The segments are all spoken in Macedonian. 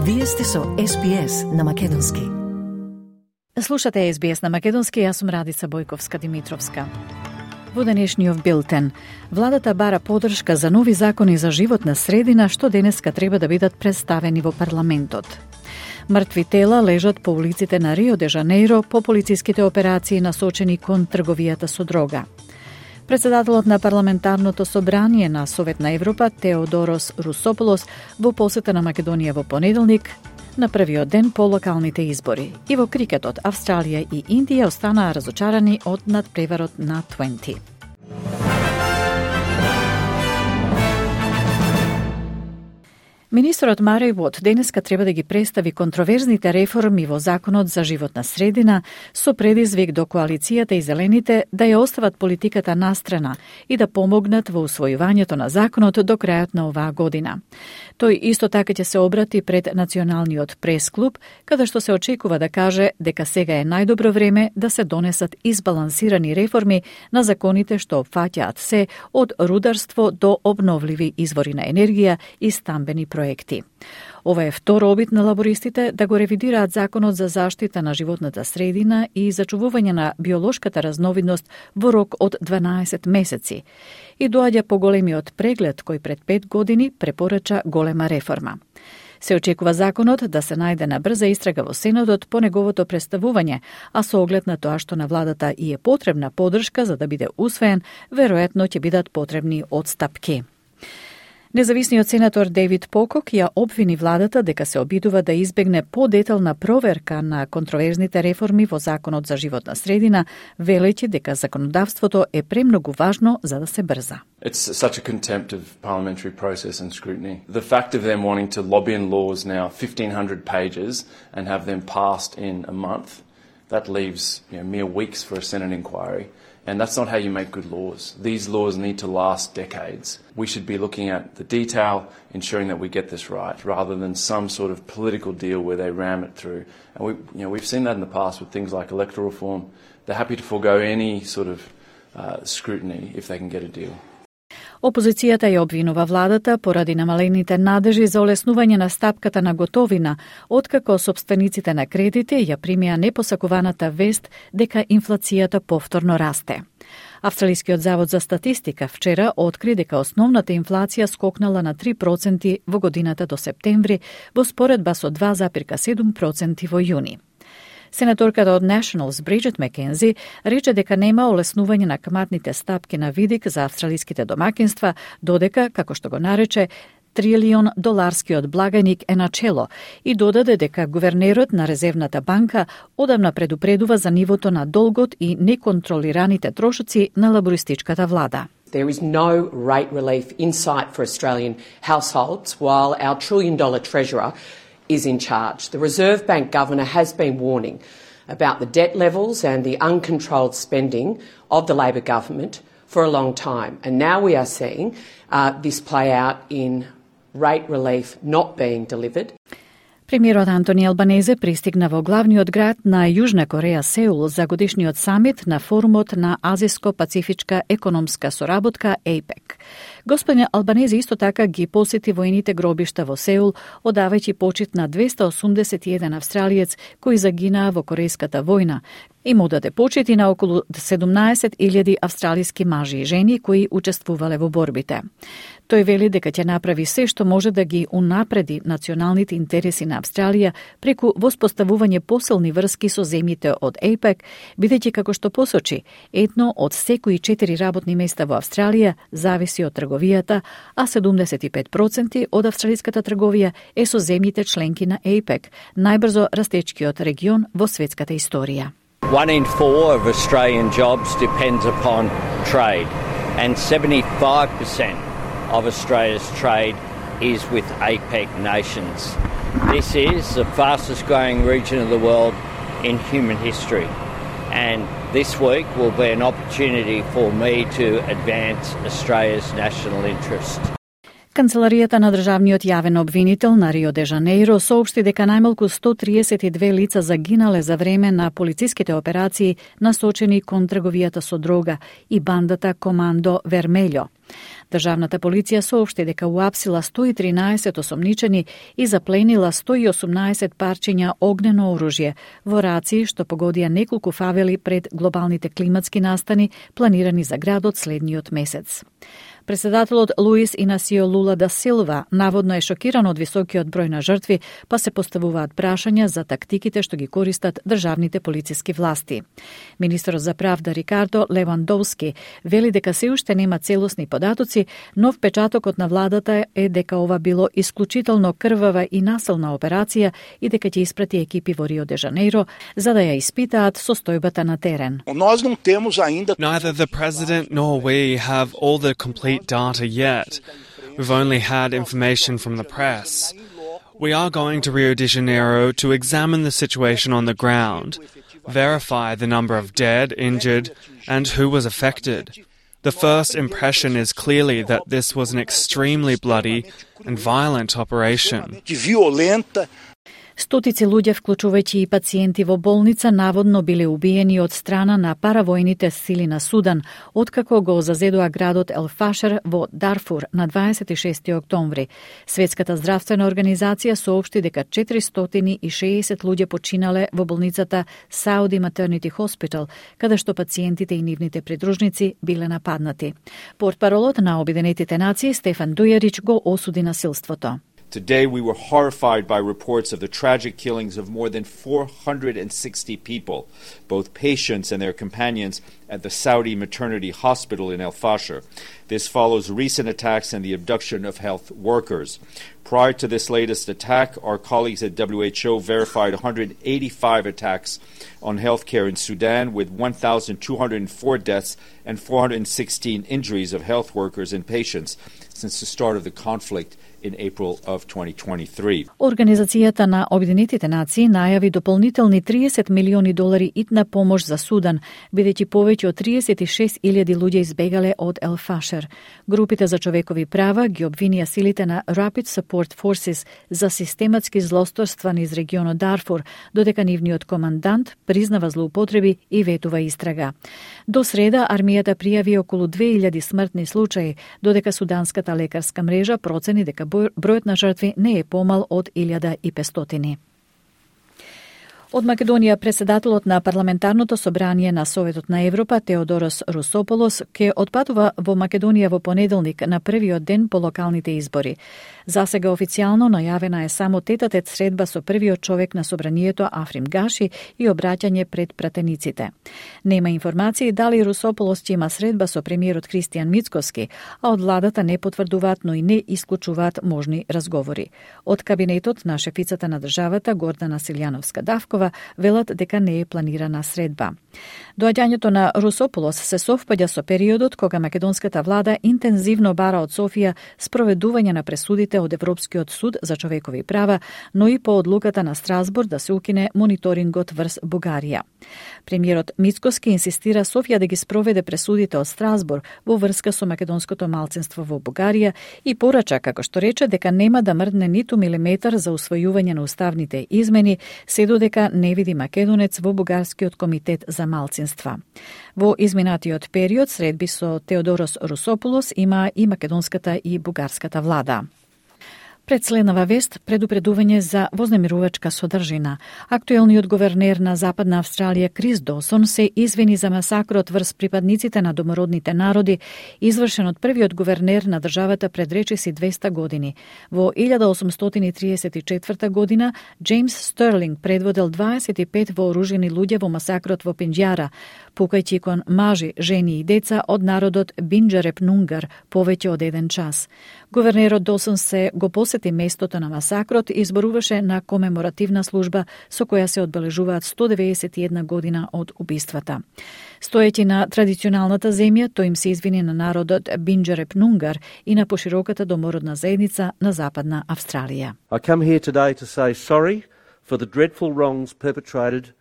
Вие сте со SBS на Македонски. Слушате SBS на Македонски, јас сум Радица Бојковска-Димитровска. Во денешниот билтен, владата бара поддршка за нови закони за животна средина, што денеска треба да бидат представени во парламентот. Мртви тела лежат по улиците на Рио де Жанеиро по полициските операции насочени кон трговијата со дрога. Председателот на парламентарното собрание на Совет на Европа, Теодорос Русополос, во посета на Македонија во понеделник, на првиот ден по локалните избори. И во крикетот, Австралија и Индија останаа разочарани од надпреварот на 20. Министерот Мареј Вот денеска треба да ги представи контроверзните реформи во Законот за животна средина со предизвик до коалицијата и зелените да ја остават политиката настрана и да помогнат во усвојувањето на законот до крајот на оваа година. Тој исто така ќе се обрати пред Националниот прес-клуб, каде што се очекува да каже дека сега е најдобро време да се донесат избалансирани реформи на законите што опфаќаат се од рударство до обновливи извори на енергија и стамбени проекти. Ова е втор обид на лабористите да го ревидираат Законот за заштита на животната средина и зачувување на биолошката разновидност во рок од 12 месеци. И доаѓа поголемиот преглед кој пред 5 години препорача голема реформа. Се очекува законот да се најде на брза истрага во Сенатот по неговото представување, а со оглед на тоа што на владата и е потребна поддршка за да биде усвоен, веројатно ќе бидат потребни отстапки. Независниот сенатор Дейвид Покок ја обвини владата дека се обидува да избегне подетална проверка на контроверзните реформи во Законот за животна средина, велејќи дека законодавството е премногу важно за да се брза. It's such a contempt of parliamentary process and scrutiny. The fact of them wanting to lobby in laws now 1,500 pages and have them passed in a month, that leaves mere weeks for a Senate inquiry. And that's not how you make good laws. These laws need to last decades. We should be looking at the detail, ensuring that we get this right, rather than some sort of political deal where they ram it through. And we've seen that in the past with things like electoral reform. They're happy to forego any sort of scrutiny if they can get a deal. Опозицијата ја обвинува владата поради намалените надежи за олеснување на стапката на готовина, откако сопствениците на кредити ја примија непосакуваната вест дека инфлацијата повторно расте. Австралискиот завод за статистика вчера откри дека основната инфлација скокнала на 3% во годината до септември, во споредба со 2,7% во јуни. Сенаторката од Nationals Бриджит Маккензи рече дека нема олеснување на каматните стапки на видик за австралиските домакинства, додека, како што го нарече, $1 трилион благајник е начело и додаде дека гувернерот на Резервната банка одамна предупредува за нивото на долгот и неконтролираните трошоци на лабористичката влада. There is no rate relief in sight for Australian households while our $1 trillion treasurer is in charge. The Reserve Bank Governor has been warning about the debt levels and the uncontrolled spending of the Labor government for a long time. And now we are seeing this play out in rate relief not being delivered. Премиерот Антони Албанезе пристигна во главниот град на Јужна Кореја Сеул за годишниот самит на форумот на Азиско-пацифичка економска соработка АПЕК. Господин Албанезе исто така ги посети војните гробишта во Сеул, одавајќи почит на 281 австралиец кои загинаа во Корејската војна, и му даде почит и на околу 17,000 австралиски мажи и жени кои учествувале во борбите. Тој вели дека ќе направи се што може да ги унапреди националните интереси на Австралија преку воспоставување посилни врски со земјите од АПЕК, бидејќи како што посочи, едно од секои 4 работни места во Австралија зависи од трговијата, а 75% од австралиската трговија е со земјите членки на АПЕК, најбрзо растечкиот регион во светската историја. 1 in 4 of Australian jobs depends upon trade, and 75% of Australia's trade is with APEC nations. This is the fastest growing region of the world in human history, and this week will be an opportunity for me to advance Australia's national interest. Канцеларијата на државниот јавен обвинител на Рио де Жанеиро соопшти дека најмалку 132 лица загинале за време на полициските операции насочени кон трговијата со дрога и бандата Командо Вермељо. Државната полиција соопшти дека уапсила 113 осомничени и запленила 118 парчиња огнено оружје во рации што погодија неколку фавели пред глобалните климатски настани планирани за градот следниот месец. Председателот Луис Инасио Лула да Силва наводно е шокиран од високиот број на жртви, па се поставуваат прашања за тактиките што ги користат државните полициски власти. Министерот за правда Рикардо Левандовски вели дека се уште нема целосни податоци, но впечатокот на владата е дека ова било исклучително крвава и насилна операција и дека ќе испрати екипи во Рио де Жанеиро за да ја испитаат состојбата на терен. Neither the president nor we have all the complete data yet. We've only had information from the press. We are going to Rio de Janeiro to examine the situation on the ground, verify the number of dead, injured, and who was affected. The first impression is clearly that this was an extremely bloody and violent operation. Стотици луѓе, вклучувајќи и пациенти во болница, наводно биле убиени од страна на паравојните сили на Судан, откако го зазедоа градот Ел Фашер во Дарфур на 26 октомври. Светската здравствена организација соопшти дека 460 луѓе починале во болницата Saudi Maternity Hospital, каде што пациентите и нивните придружници биле нападнати. Портпаролот на Обединетите нации Стефан Дујарич го осуди насилството. Today we were horrified by reports of the tragic killings of more than 460 people, both patients and their companions, at the Saudi Maternity Hospital in El Fasher. This follows recent attacks and the abduction of health workers. Prior to this latest attack, our colleagues at WHO verified 185 attacks on healthcare in Sudan, with 1,204 deaths and 416 injuries of health workers and patients since the start of the conflict in April of 2023. Организацијата на Обединетите нации најави дополнителни $30 милиони итна помош за Судан, бидејќи повеќе од 36.000 луѓе избегале од Ел Фашер. Групите за човекови права ги обвинија силите на Rapid Support Forces за систематски злосторства низ регионот Дарфур, додека нивниот командант признава злоупотреби и ветува истрага. До среда армијата пријави околу 2000 смртни случаи, додека суданската лекарска мрежа процени дека бројот на жртви не е помал од 1500. Од Македонија, председателот на парламентарното собрание на Советот на Европа Теодорос Русополос ќе отпатува во Македонија во понеделник на првиот ден по локалните избори. Засега официјално најавена е само тет-а-тет средба со првиот човек на собранието Африм Гаши и обраќање пред пратениците. Нема информации дали Русополос ќе има средба со премиерот Кристијан Мицкоски, а од владата не потврдуваат, но и не исклучуваат можни разговори. Од кабинетот на шефицата на државата Гордана Силјановска-Давкова велат дека не е планирана средба. Доаѓањето на Русополос се совпаѓа со периодот кога македонската влада интензивно бара од Софија спроведување на пресудите од Европскиот суд за човекови права, но и по одлуката на Страсбург да се укине мониторингот врз Бугарија. Премиерот Мицкоски инсистира Софија да ги спроведе пресудите од Страсбург во врска со македонското малцинство во Бугарија и порача, како што рече, дека нема да мрдне ниту милиметар за усвојување на уставните измени, се додека не види македонец во Бугарскиот комитет за малцинства. Во изминатиот период средби со Теодорос Русополос има и македонската и бугарската влада. Пред следнава вест, предупредување за вознемирувачка содржина. Актуелниот говернер на Западна Австралија Крис Досон се извини за масакрот врз припадниците на домородните народи, извршен од првиот говернер на државата пред речиси 200 години. Во 1834 година Джеймс Стерлинг предводел 25 вооружени луѓе во масакрот во Пинџјара, пукајќи кон мажи, жени и деца од народот Бинџареп Нунгар повеќе од 1 час. Говернерот Досон се го посети местото на масакрот и изборуваше на комеморативна служба со која се одбележуваат 191 година од убиствата. Стоејќи на традиционалната земја, тој им се извини на народот Бинџареп Нунгар и на пошироката домородна заедница на Западна Австралија. I come here today to say sorry for the dreadful wrongs perpetrated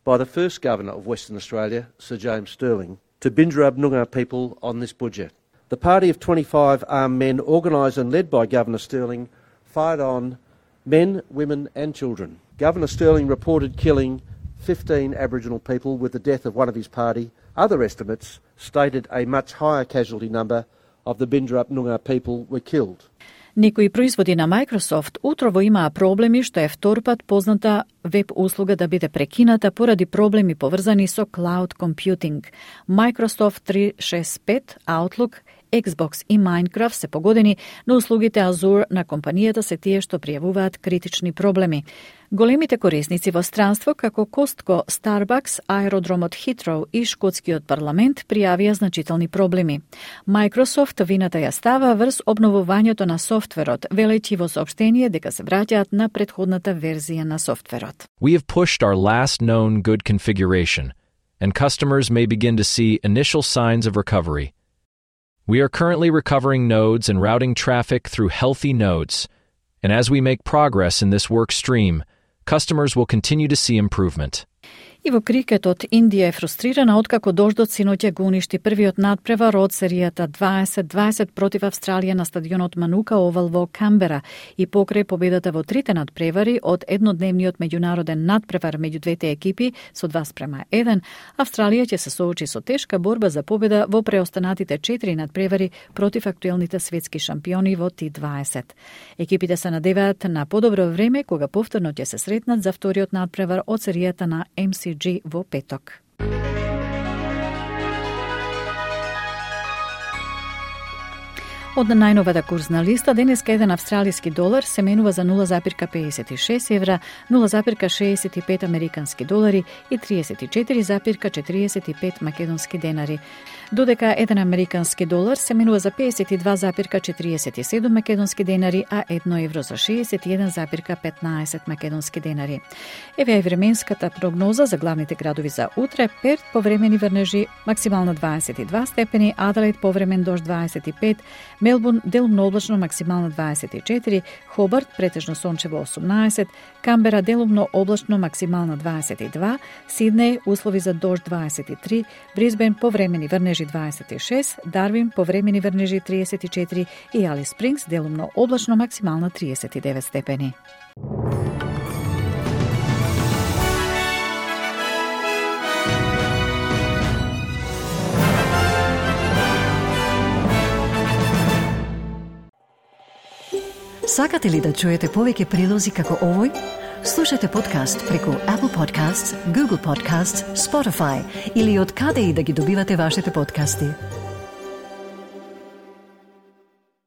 by the first governor of Western Australia, Sir James Stirling, to Bindjarab Noongar people on this budget. The party of 25 armed men, organised and led by Governor Stirling, fired on men, women and children. Governor Stirling reported killing 15 Aboriginal people with the death of one of his party. Other estimates stated a much higher casualty number of the Bindrup Noongar people were killed. Некои производи на Microsoft утрово имаа проблеми што е втор пат позната веб услуга да биде прекината поради проблеми поврзани со cloud computing. Microsoft 365, Outlook, Xbox и Minecraft се погодени, но услугите Azure на компанијата се тие што пријавуваат критични проблеми. Големите корисници во странство како Costco, Starbucks, аеродромот Heathrow и шкотскиот парламент пријавија значителни проблеми. Microsoft вината ја става врз обновувањето на софтверот, велејќи во соопштение дека се враќаат на претходната верзија на софтверот. We have pushed our last known good configuration, and customers may begin to see initial signs of recovery. We are currently recovering nodes and routing traffic through healthy nodes, and as we make progress in this work stream, customers will continue to see improvement. И во крикетот, Индија е фрустрирана откако дождот синоќа го уништи првиот надпревар од серијата 20-20 против Австралија на стадионот Манука Овал во Камбера и покрај победата во трите надпревари од еднодневниот меѓународен надпревар меѓу двете екипи со 2:1, Австралија ќе се соочи со тешка борба за победа во преостанатите 4 надпревари против актуелните светски шампиони во T20. Екипите се надеваат на подобро време кога повторно ќе се сретнат за вториот надпревар од серијата на MCG во петок. Од најновата курсна листа, денеска еден австралиски долар се менува за 0,56 евра, 0,65 американски долари и 34,45 македонски денари. Додека еден американски долар се менува за 52,47 македонски денари, а 1 евро за 61,15 македонски денари. Еве е временската прогноза за главните градови за утре. Перт повремени врнежи максимално 22 степени, Аделаид повремен дожд 25, Мелбурн делумно облачно максимално 24, Хобарт претежно сончево 18, Камбера делумно облачно максимално 22, Сиднеј услови за дожд 23, Брисбен повремени врнежи 26, Дарвин повремени врнежи 34 и Алис Спрингс делумно облачно максимално 39 степени. Сакате ли да чуете повеќе прилози како овој? Слушате подкаст преку Apple Podcasts, Google Podcasts, Spotify или од каде и да ги добивате вашите подкасти.